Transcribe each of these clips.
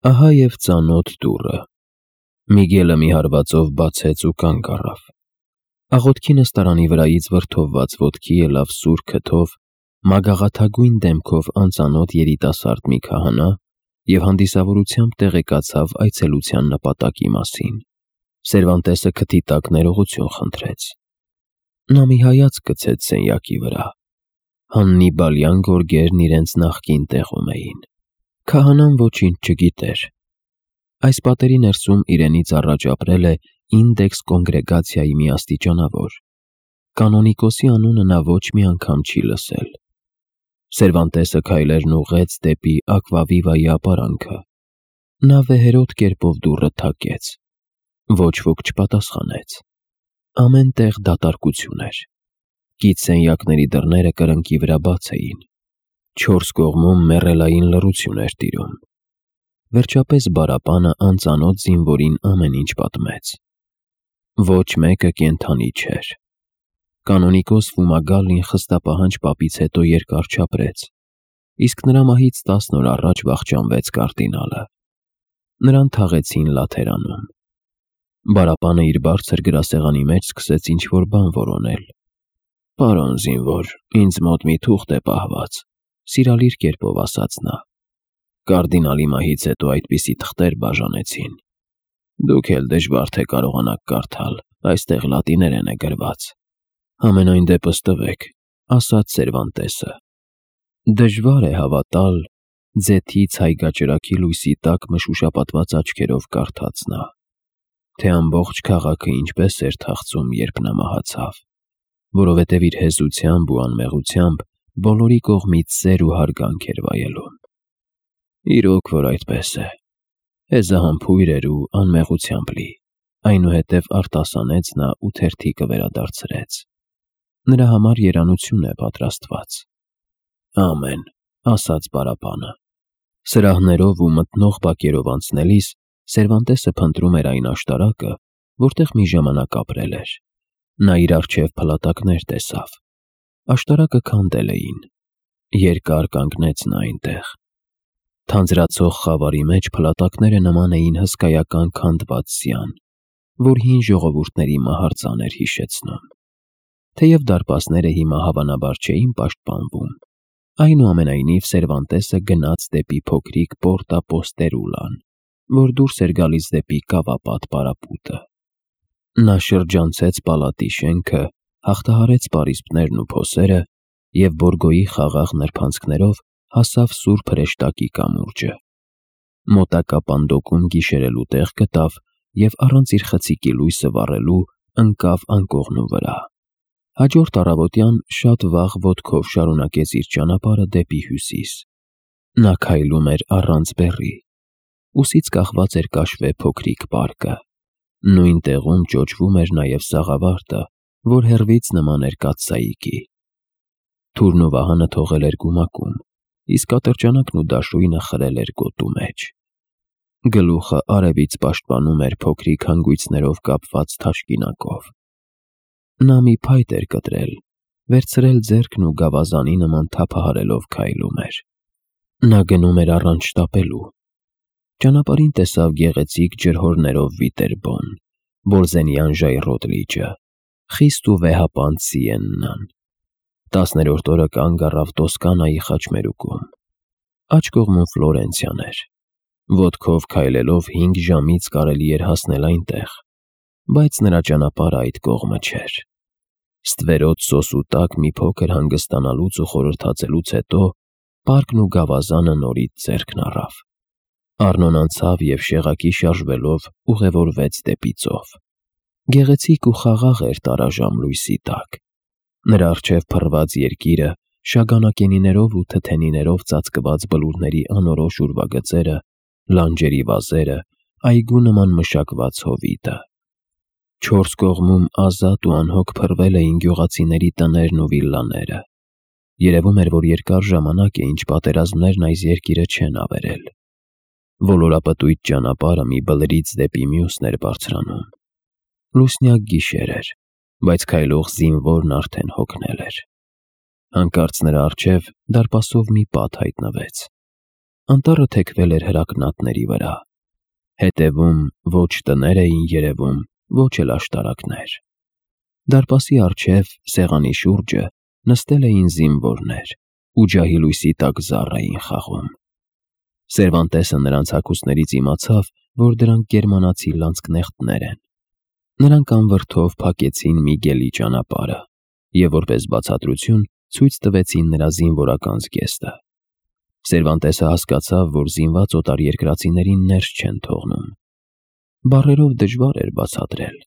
Ահա և ծանոթ դուռը։ Միգելը մի հարվածով բացեց ու կանգ առավ։ Աղոթքի նստարանի վրայից վրդովված ոտքի ելավ սուր քթով, մագաղաթագույն դեմքով անծանոթ երիտասարդ մի քահանա և հանդիսավորությամբ տեղեկացավ այցելության նպատակի մասին։ Սերվանտեսը քթի տակ ներողություն խնդրեց։ Նա մի հայացք գցեց սենյակի վրա։ Հաննիբալյան գորգերն իրենց նախկին տեղում էին։ Քահանան ոչինչ չգիտեր։ Այս պատերի ներսում իրենից առաջ ապրել է Ինդեքս կոնգրեգացիայի մի աստիճանավոր։ Կանոնիկոսի անունը նա ոչ մի անգամ չի լսել։ Սերվանտեսը քայլերն ուղղեց դեպի Ակվավիվայի ապարանքը։ Նա վեհերոտ կերպով դուռը թակեց։ Ոչ ոք չպատասխանեց։ Ամեն տեղ դատարկություն էր։ Կից սենյակների դռները կրկնակի վրա բաց էին։ Չորս կողմում մեռելային լռություն էր տիրում։ Վերջապես Բարապանը անծանոթ զինվորին ամեն ինչ պատմեց։ Ոչ մեկը կենդանի չէր։ Կանոնիկոս Ֆումագալին խստապահանջ պապից հետո երկար չապրեց, իսկ նրա մահից 10 օր առաջ վախճանվեց կարդինալը։ Նրան թաղեցին Լաթերանում։ Բարապանը իր բարձր գրասեղանի մեջ սկսեց ինչ-որ բան որոնել։ «Պարոն զինվոր, ինձ մոտ մի թուղթ է պահված», սիրալիր կերպով ասաց նա։ «Կարդինալի մահից հետո այդպիսի թղթեր բաժանեցին։ Դուք էլ դժվար թե կարողանաք կարդալ, այստեղ լատիներեն է գրված։ Համենայն դեպս տվեք», ասաց Սերվանտեսը։ Դժվար է հավատալ, ձեթի ցայգաճրագի լույսի տակ մշուշապատված աչքերով կարդաց նա, թե ամբողջ քաղաքը ինչպես էր թախծում, երբ նա մահացավ, որովհետև իր հեզությամբ ու անմեղությամբ բոլորի կողմից սեր ու հարգանք էր վայելում։ Իրոք որ այդպես է։ Հեզահամբույր էր ու անմեղությամբ լի, այնուհետև արտասանեց նա ու թերթիկը վերադարձրեց։ Նրա համար երանություն է պատրաստված։ Ամեն, ասաց Բարապանը։ Սրահներով ու մթնող բակերով անցնելիս Սերվանտեսը փնտրում էր այն աշտարակը, որտեղ մի ժամանակ ապրել էր։ Նա իր առջև փլատակներ տեսավ։ Աշտարակը քանդել էին։ Երկար կանգնեց նա այնտեղ։ Թանձրացող խավարի մեջ փլատակները նման էին հսկայական քանդված ձյան, որ հին ժողովուրդների մահարձան էր հիշեցնում։ Թեև դարպասները հիմա հավանաբար չէին պաշտպանվում, այնուամենայնիվ Սերվանտեսը գնաց դեպի փոքրիկ Պորտա Պոստերուլան, որ դուրս էր գալիս դեպի կավապատ պարապուտը։ Նա շրջանցեց պալատի շենքը, հաղթահարեց պարիսպներն ու փոսերը և Բորգոյի խաղաղ նրբանցքներով հասավ Սուրբ Հրեշտակի կամուրջը։ Մոտակա պանդոկում գիշերելու տեղ գտավ և առանց իր խցիկի լույսը վառելու ընկավ անկողնու վրա։ Հաջորդ առավոտյան շատ վաղ ոտքով շարունակեց իր ճանապարհը դեպի հյուսիս։ Նա քայլում էր առանց բեռի։ Ուսից կախված էր կաշվե փոքրիկ պարկը։ Նույն տեղում ճոճվում էր նաև սաղավարտը, որ հեռվից նման էր կաթսայիկի։ Թուրն ու վահանը թողել էր գումակում, իսկ ատրճանակն ու դաշույնը խրել էր գոտու մեջ։ Գլուխը արևից պաշտպանում էր փոքրիկ հանգույցներով կապված թաշկինակով։ Նա մի փայտ էր կտրել, վերցրել ձեռքն ու գավազանի նման թափահարելով քայլում էր։ Նա գնում էր առանց շտապելու։ Ճանապարհին տեսավ գեղեցիկ ջրհորներով Վիտերբոն, Բոլզենյան ժայռոտ լիճը, խիստ ու վեհապանծ Սիեննան։ 10-րդ օրը կանգ առավ Տոսկանայի խաչմերուկում։ Աջ կողմում Ֆլորենցիան էր։ Ոտքով քայլելով 5 ժամից կարելի էր հասնել այնտեղ, բայց նրա ճանապարհը այդ կողմը չէր։ Ստվերոտ սոսու տակ մի փոքր հանգստանալուց ու խորհրդածելուց հետո պարկն ու գավազանը նորից ձեռքն առավ։ Առնոն անցավ և շեղակի շարժվելով ուղևորվեց դեպի ծով։ Գեղեցիկ ու խաղաղ էր տարաժամ լույսի տակ։ Նրա առջև փռված երկիրը, շագանակենիներով ու թթենիներով ծածկված բլուրների անորոշ ուրվագծերը, լանջերի վազերը, այգու նման մշակված հովիտը։ 4 կողմում ազատ ու անհոգ փռվել էին գյուղացիների տներն ու վիլլաները։ Երևում էր, որ երկար ժամանակ է, ինչ պատերազմներն այս երկիրը չեն ավերել։ Ոլորապտույտ ճանապարհը մի բլրից դեպի մյուսն էր բարձրանում։ Լուսնյակ գիշեր էր, բայց քայլող զինվորն արդեն հոգնել էր։ Հանկարծ նրա առջև դարպասով մի պատ հայտնվեց։ Անտառը թեքվել էր հրակնատների վրա։ Հետևում ոչ տներ էին երևում, ոչ էլ աշտարակներ։ Դարպասի առջև, սեղանի շուրջը, նստել էին զինվորներ ու ջահի լույսի տակ զառ էին խաղում։ Սերվանտեսը նրանց հագուստներից իմացավ, որ դրանք գերմանացի լանցկնեխտներ են։ Նրանք անվրդով փակեցին Միգելի ճանապարհը և որպես բացատրություն ցույց տվեցին նրա զինվորական զգեստը։ Սերվանտեսը հասկացավ, որ զինված օտարերկրացիներին ներս չեն թողնում։ Բառերով դժվար էր բացատրել։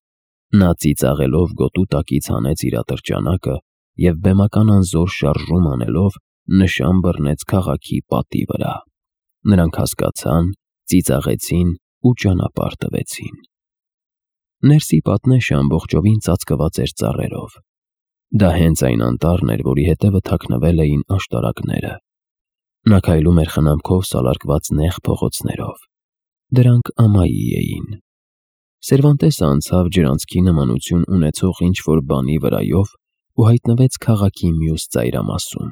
Նա ծիծաղելով գոտու տակից հանեց իր ատրճանակը և բեմական անզոր շարժում անելով նշան բռնեց քաղաքի պատի վրա։ Նրանք հասկացան, ծիծաղեցին ու ճանապարհ տվեցին։ Ներսի պատնեշը ամբողջովին ծածկված էր ծառերով։ Դա հենց այն անտառն էր, որի հետևը թաքնվել էին աշտարակները։ Նա քայլում էր խնամքով սալարկված նեղ փողոցներով։ Դրանք ամայի էին։ Սերվանտեսը անցավ ջրանցքի նմանություն ունեցող ինչ-որ բանի վրայով ու հայտնվեց քաղաքի մյուս ծայրամասում։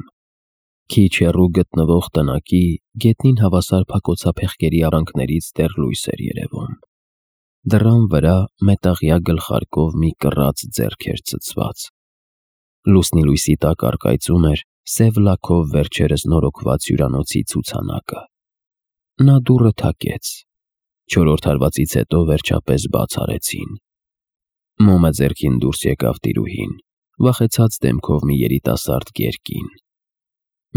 Քիչ հեռու գտնվող տնակի գետնին հավասար փակոցափեղկերի արանքներից դեռ լույս էր երևում։ Դռան վրա մետաղյա գլխարկով մի կռած ձեռք էր ցցված։ Լուսնի լույսի տակ առկայծում էր սև լաքով վերջերս նորոգված հյուրանոցի ցուցանակը։ Նա դուռը թակեց։ 4-րդ հարվածից հետո վերջապես բաց արեցին։ Մոմը ձեռքին դուրս եկավ տիրուհին, վախեցած դեմքով մի երիտասարդ գերկին։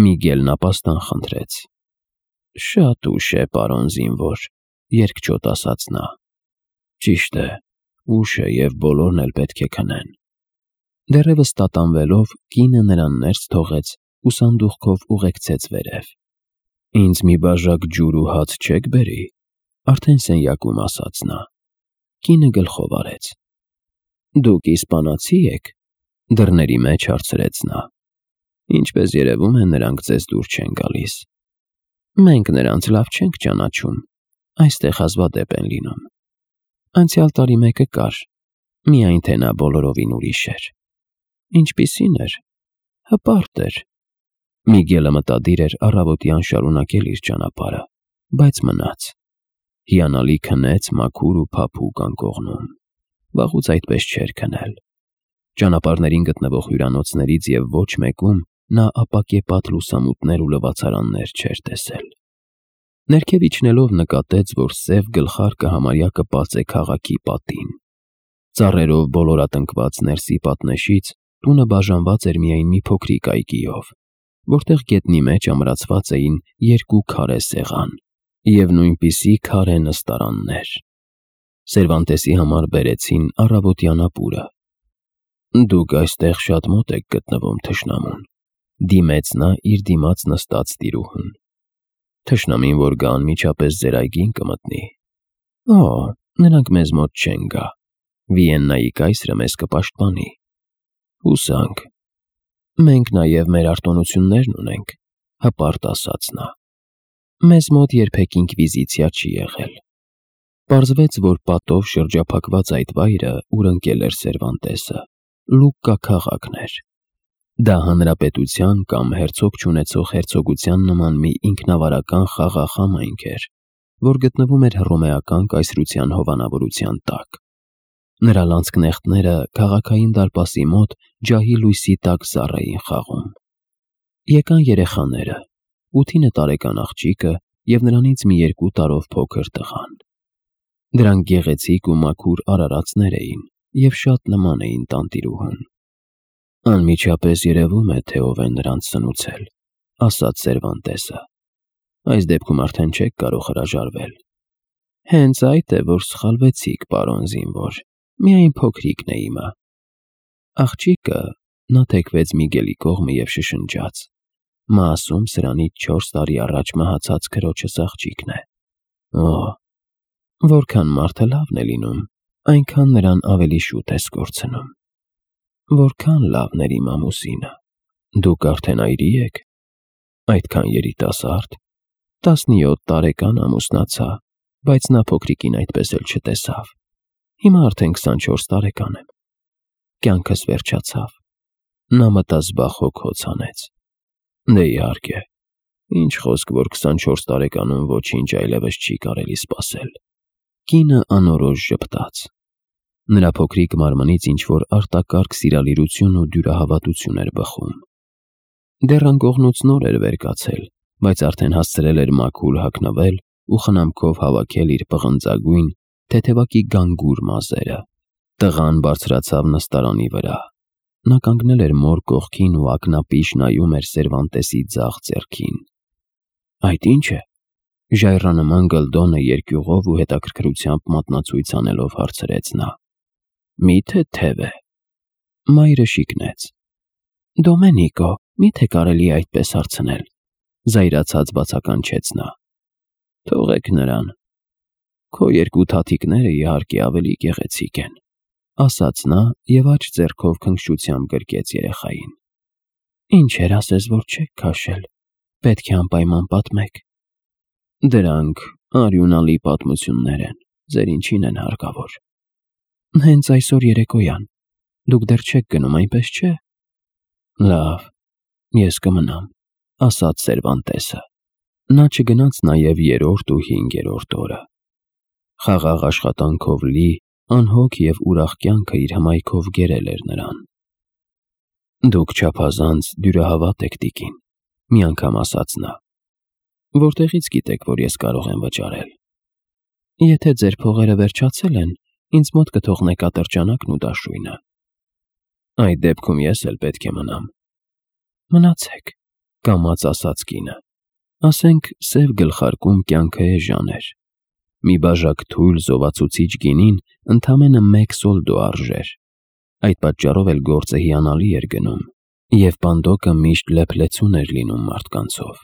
Միգելն ապաստան խնդրեց։ «Շատ ուշ է, պարոն զինվոր», երկչոտ ասաց նա։ «Ճիշտ է, ուշ է և բոլորն էլ պետք է քնեն»։ Դեռևս տատանվելով, կինը նրան ներս թողեց ու սանդուղքով ուղեկցեց վերև։ «Ինձ մի բաժակ ջուր ու հաց չեք բերի», արդեն սենյակում ասաց նա։ Կինը գլխով արեց։ «Դուք իսպանացի եք», դռների մեջ հարցրեց նա։ «Ինչպես երևում է, նրանք ձեզ դուր չեն գալիս»։ «Մենք նրանց լավ չենք ճանաչում, այստեղ հազվադեպ են լինում։ Անցյալ տարի մեկը կար, միայն թե նա բոլորովին ուրիշ էր»։ «Ինչպիսին էր»։ «Հպարտ էր»։ Միգելը մտադիր էր առավոտյան շարունակել իր ճանապարհը, բայց մնաց։ Հիանալի քնեց մաքուր ու փափուկ անկողնում։ Վաղուց այդպես չէր քնել։ Ճանապարհներին գտնվող հյուրանոցներից և ոչ մեկում նա ապակեպատ լուսամուտներ ու լվացարաններ չէր տեսել։ Ներքև իջնելով նկատեց, որ սև գլխարկը համարյա կպած է քաղաքի պատին։ Ծառերով բոլորատնկված ներսի պատնեշից տունը բաժանված էր միայն մի փոքրիկ այգիով, որտեղ գետնի մեջ ամրացված էին 2 քարե սեղան և նույնպիսի քարե նստարաններ։ Սերվանտեսի համար բերեցին առավոտյան ապուրը։ «Դուք այստեղ շատ մոտ եք գտնվում թշնամուն», դիմեց նա իր դիմաց նստած տիրուհուն։ «Թշնամին որ գա անմիջապես ձեր այգին կմտնի»։ «Օ, նրանք մեզ մոտ չեն գա։ Վիեննայի կայսրը մեզ կպաշտպանի»։ «Հուսանք»։ «Մենք նաև մեր արտոնություններն ունենք», հպարտ ասաց նա։ «Մեզ մոտ երբեք ինկվիզիցիա չի եղել»։ Պարզվեց, որ պատով շրջափակված այդ վայրը, ուր ընկել էր Սերվանտեսը, Լուկկա քաղաքն էր։ Դա հանրապետության կամ հերցог չունեցող հերցոգության նման մի ինքնավարական խաղաղ համայնք էր, որ գտնվում էր հռոմեական կայսրության հովանավորության տակ։ Նրա լանցկնեխտները քաղաքային դարպասի մոտ ջահի լույսի տակ զառ էին խաղում։ Եկան երեխաները, 8-9 տարեկան աղջիկը և նրանից մի 2 տարով փոքր տղան։ Դրանք գեղեցիկ ու մաքուր արարածներ էին և շատ նման էին տանտիրուհուն։ «Անմիջապես երևում է, թե ով է նրանց սնուցել», ասաց Սերվանտեսը։ «Այս դեպքում արդեն չեք կարող հրաժարվել»։ «Հենց այդ է, որ սխալվեցիք, պարոն զինվոր, միայն փոքրիկն է իմը»։ Աղջիկը, նա թեքվեց Միգելի կողմը և շշնջաց։ Մասում սրանից 4 տարի առաջ մահացած քրոջս աղջիկն է։ Օ, որքան մարդը լավն է լինում, այնքան նրան ավելի շուտ ես կորցնում։ Որքան լավն էր իմ ամուսինը։ Դուք արդեն այրի եք։ Այդքան երիտասարդ։ 17 տարեկան ամուսնացա, բայց նա փոքրիկին այդպես էլ չտեսավ։ Հիմա արդեն 24 տարեկան եմ։ Կյանքս վերջացավ։ Նա մտազբաղ հոգոց հանեց։ Դե իհարկե, Ինչ խոսք, որ 24 տարեկանում ոչինչ այլևս չի կարելի սպասել։ Կինը անորոշ ժպտաց։ Նրա փոքրիկ մարմնից ինչ-որ արտակարգ սիրալիրություն ու դյուրահավատություն էր բխում։ Դեռ անկողնուց նոր էր վեր կացել, բայց արդեն հասցրել էր մաքուր հագնվել ու խնամքով հավաքել իր պղնձագույն, թեթևակի գանգուր մազերը։ Տղան բարձրացավ նստարանի վրա։ Նա կանգնել էր մոր կողքին ու ակնապիշ նայում էր Սերվանտեսի ձախ ձեռքին։ Այդ ի՞նչ է։ Ժայռանման գլդոնը երկյուղով ու հետաքրքրությամբ մատնացույց անելով հարցրեց նա։ Միթե թև է։ Մայրը շիկնեց։ Դոմենիկո, միթե կարելի է այդպես հարցնել, զայրացած բացականչեց նա։ Թողեք նրան։ Քո երկու թաթիկները իհարկե ավելի գեղեցիկ են, ասաց նա և աջ ձեռքով քնքշությամբ գրկեց երեխային։ Ինչ էր ասես, որ չեք քաշել, պետք է անպայման պատմեք։ Դրանք արյունալի պատմություններ են, ձեր ինչին են հարկավոր։ Հենց այսօր երեկոյան, դուք դեռ չեք գնում, այնպես չէ։ Լավ, ես կմնամ, ասաց Սերվանտեսը։ Նա չգնաց նաև 3-րդ ու 5-րդ օրը։ Խաղաղ աշխատանքով լի, անհոգ և ուրախ կյանքը իր հմայքով գերել էր նրան։ Դուք չափազանց դյուրահավատ եք, տիկին, մի անգամ ասաց նա։ Որտեղից գիտեք, որ ես կարող եմ վճարել։ Եթե ձեր փողերը վերջացել են, ինձ մոտ կթողնեք ատրճանակն ու դաշույնը։ Այդ դեպքում ես էլ պետք է մնամ։ Մնացեք, կամաց ասաց կինը։ Ասենք սև գլխարկում կյանքը էժան էր։ Մի բաժակ թույլ զովացուցիչ գինին ընդամենը 1 սոլդո արժեր։ Այդ պատճառով էլ գործը հիանալի էր գնում, և պանդոկը միշտ լեփլեցուն էր լինում մարդկանցով։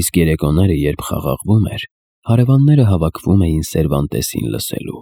Իսկ երեկոները, երբ խաղաղվում էր, հարևանները հավաքվում էին Սերվանտեսին լսելու։